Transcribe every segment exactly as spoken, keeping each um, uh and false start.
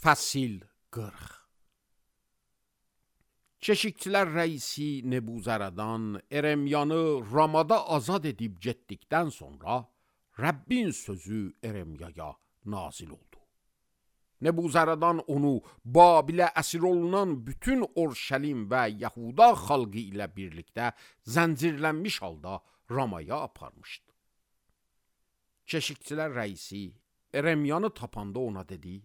Fəsil qırx. Keşikçilər rəisi Nebuzaradan Eremyanı Ramada azad edib getdikdən sonra Rəbbin sözü Eremyaya nazil oldu. Nebuzaradan onu Babilə əsir olunan bütün Orşəlim və Yahuda xalqı ilə birlikdə zəncirlənmiş halda Ramaya aparmışdı. Keşikçilər rəisi Eremyanı tapanda ona dedi: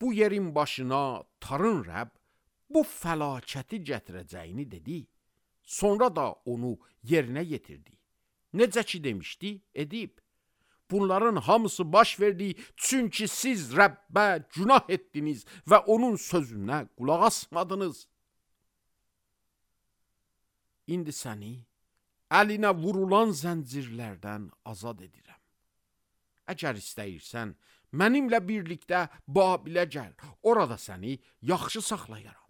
Bu yerin başına tarın Rəbb bu fəlakəti gətirəcəyini dedi. Sonra da onu yerinə yetirdi. Necə ki demişdi, edib. Bunların hamısı baş verdi, çünki siz Rəbbə günah etdiniz və onun sözünə qulaq asmadınız. İndi səni əlinə vurulan zəncirlərdən azad edirəm. Əgər istəyirsən, mənimlə birlikdə Babilə gəl, orada səni yaxşı saxlayaram.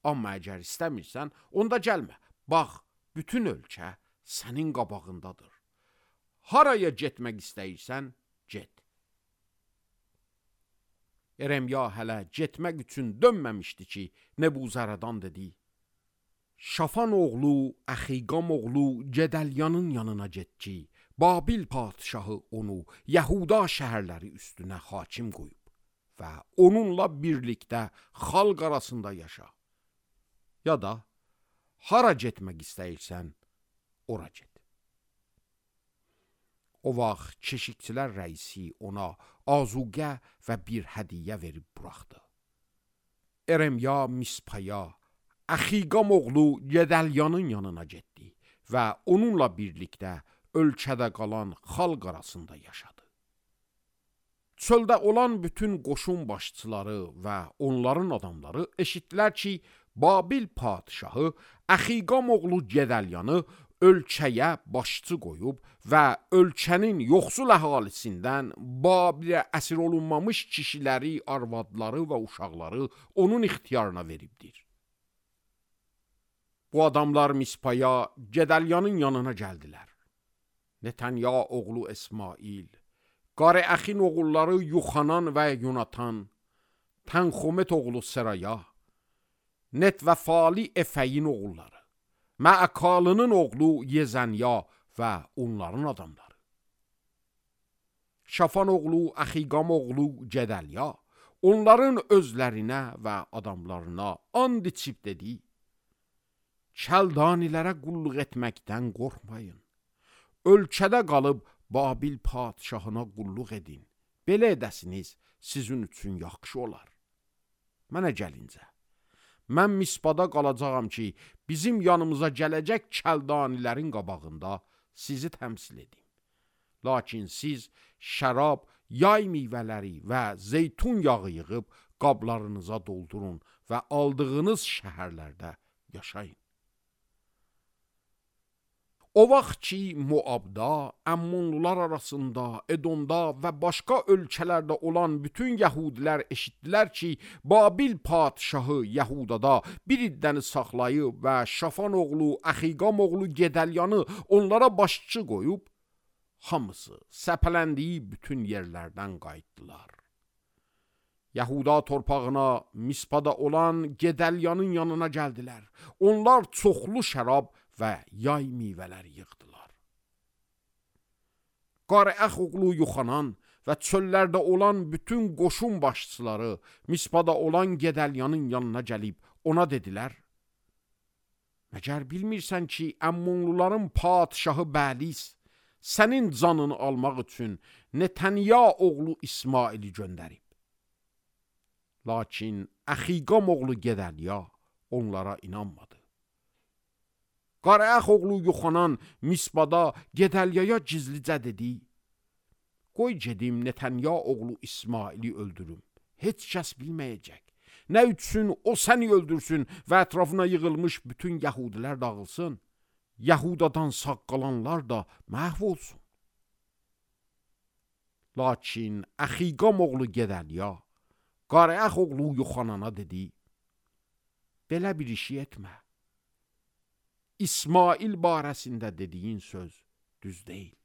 Amma əgər istəmirsən, onda gəlmə. Bax, bütün ölkə sənin qabağındadır. Haraya getmək istəyirsən, get. Eremya hələ getmək üçün dönməmişdi ki, Nebuzaradan dedi: Şafan oğlu, Əxiqam oğlu Gedəlyanın yanına get ki, Babil padişahı onu Yahuda şəhərləri üstünə hakim qoyub və onunla birlikdə xalq arasında yaşa. Ya da hara getmək istəyirsən, ora get. O vaxt keşikçilər rəisi ona azuqə və bir hədiyyə verib buraxdı. Eremya Mispaya, Əxiqam oğlu Gedəlyanın yanına getdi və onunla birlikdə ölkədə qalan xalq arasında yaşadı. Çöldə olan bütün qoşun başçıları və onların adamları eşitdilər ki, Babil padişahı Əxiqam oğlu Gedəlyanı ölkəyə başçı qoyub və ölkənin yoxsul əhalisindən Babilə əsir olunmamış kişiləri, arvadları və uşaqları onun ixtiyarına veribdir. Bu adamlar Mispaya, Gedəlyanın yanına gəldilər. Netanya oğlu İsmail, Qareəxin oğulları Yuxanan və Yonatan, Tənxomet oğlu Seraya, Net və Fali Efəyin oğulları, Məəkalının oğlu Yezənya və onların adamları. Şafan oğlu Əxiqam oğlu Gedəlya, onların özlərinə və adamlarına and içib dedi: Kəldanilərə qulluq etməkdən qorxmayın. Ölkədə qalıb Babil padişahına qulluq edin. Belə edəsiniz, sizin üçün yaxşı olar. Mənə gəlincə, mən Mispada qalacağam ki, bizim yanımıza gələcək kəldanilərin qabağında sizi təmsil edim. Lakin siz şərab, yay meyvələri və zeytun yağı yığıb qablarınıza doldurun və aldığınız şəhərlərdə yaşayın. O vaxt ki, Moabda, Əmmonlular arasında, Edomda və başqa ölkələrdə olan bütün yəhudilər eşitdilər ki, Babil padişahı Yəhudada bir iddəni saxlayıb və Şafan oğlu, Əxiqam oğlu Gedəlyanı onlara başçı qoyub, hamısı səpələndiyi bütün yerlərdən qayıtdılar. Yahuda torpağına, Mispada olan Gedəlyanın yanına gəldilər. Onlar çoxlu şərab və yay meyvələri yığdılar. Qareəx oğlu Yuxanan və çöllərdə olan bütün qoşun başçıları Mispada olan Gedəlyanın yanına gəlib ona dedilər: Məgər bilmirsən ki, Əmmonluların padişahı Bəlis sənin canını almaq üçün Netanya oğlu İsmaili göndərib. Lakin Əxiqam oğlu Gedəlya onlara inanmadı. Qareəx oğlu Yuxanan Mispada Gedəlyaya gizlicə dedi: Qoy gedim Netanya oğlu İsmaili öldürüm. Heç kəs bilməyəcək. Nə üçün o səni öldürsün və ətrafına yığılmış bütün yəhudilər dağılsın. Yahudadan sağ qalanlar da məhv olsun. Lakin Əxiqam oğlu Gedəlya Qareəx oğlu Yuxanana dedi: Belə bir işi etmə. İsmail barəsində dediyin söz düz deyil.